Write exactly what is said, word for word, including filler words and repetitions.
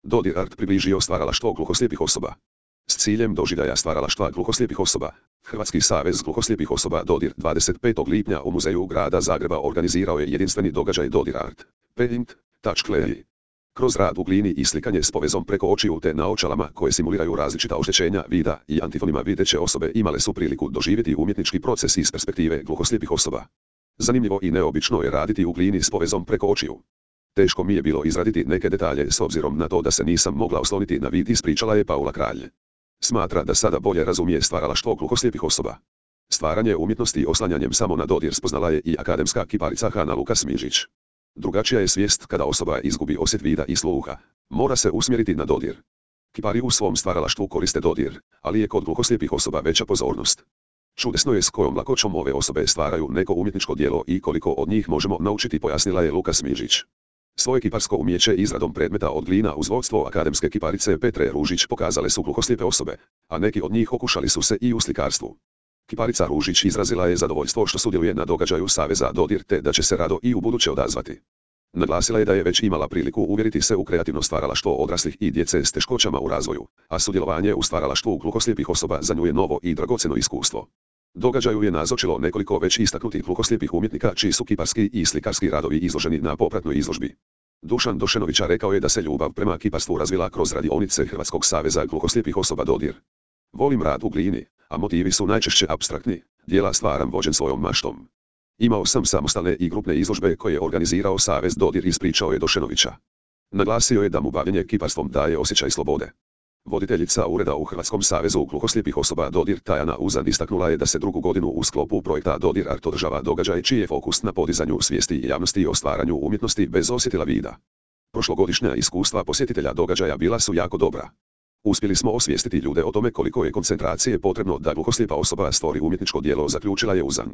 Dodir Art približio stvaralaštvo gluhoslijepih osoba. S ciljem doživljaja stvaralaštva gluhoslijepih osoba, Hrvatski savez gluhoslijepih osoba Dodir dvadeset petog lipnja u Muzeju grada Zagreba organizirao je jedinstveni događaj Dodir Art, Paint, Touch Clay. Kroz rad u glini i slikanje s povezom preko očiju te naočalama koje simuliraju različita oštećenja vida i antifonima videće osobe imale su priliku doživjeti umjetnički proces iz perspektive gluhoslijepih osoba. Zanimljivo i neobično je raditi u glini s povezom preko očiju. Teško mi je bilo izraditi neke detalje s obzirom na to da se nisam mogla osloniti na vid, ispričala je Paula Kralj. Smatra da sada bolje razumije stvaralaštvo gluhoslijepih osoba. Stvaranje umjetnosti oslanjanjem samo na dodir spoznala je i akademska kiparica Hana Lukas Mižić. Drugačija je svijest kada osoba izgubi osjet vida i sluha. Mora se usmjeriti na dodir. Kipari u svom stvaralaštvu koriste dodir, ali je kod gluhoslijepih osoba veća pozornost. Čudesno je s kojom lakoćom ove osobe stvaraju neko umjetničko djelo i koliko od njih možemo naučiti, pojasnila je Lukas Mižić. Svoje kiparsko umjeće izradom predmeta od glina uz vodstvo akademske kiparice Petre Ružić pokazale su gluhoslijepe osobe, a neki od njih okušali su se i u slikarstvu. Kiparica Ružić izrazila je zadovoljstvo što sudjeluje na događaju Saveza Dodir te da će se rado i ubuduće odazvati. Naglasila je da je već imala priliku uvjeriti se u kreativno stvaralaštvo odraslih i djece s teškoćama u razvoju, a sudjelovanje u stvaralaštvu gluhoslijepih osoba za nju je novo i dragocjeno iskustvo. Događaju je nazočilo nekoliko već istaknutih gluhoslijepih umjetnika čiji su kiparski i slikarski radovi izloženi na popratnoj izložbi. Dušan Došenovića rekao je da se ljubav prema kiparstvu razvila kroz radionice Hrvatskog saveza gluhoslijepih osoba Dodir. Volim rad u glini, a motivi su najčešće apstraktni, djela stvaram vođen svojom maštom. Imao sam samostalne i grupne izložbe koje je organizirao Savez Dodir, ispričao je Došenovića. Naglasio je da mu bavljenje kiparstvom daje osjećaj slobode. Voditeljica ureda u Hrvatskom savezu gluhoslijepih osoba Dodir Tajana Uzan istaknula je da se drugu godinu u sklopu projekta Dodir Art održava događaj čiji je fokus na podizanju svijesti javnosti o stvaranju umjetnosti bez osjetila vida. Prošlogodišnja iskustva posjetitelja događaja bila su jako dobra. Uspjeli smo osvijestiti ljude o tome koliko je koncentracije potrebno da gluhoslijepa osoba stvori umjetničko djelo, zaključila je Uzan.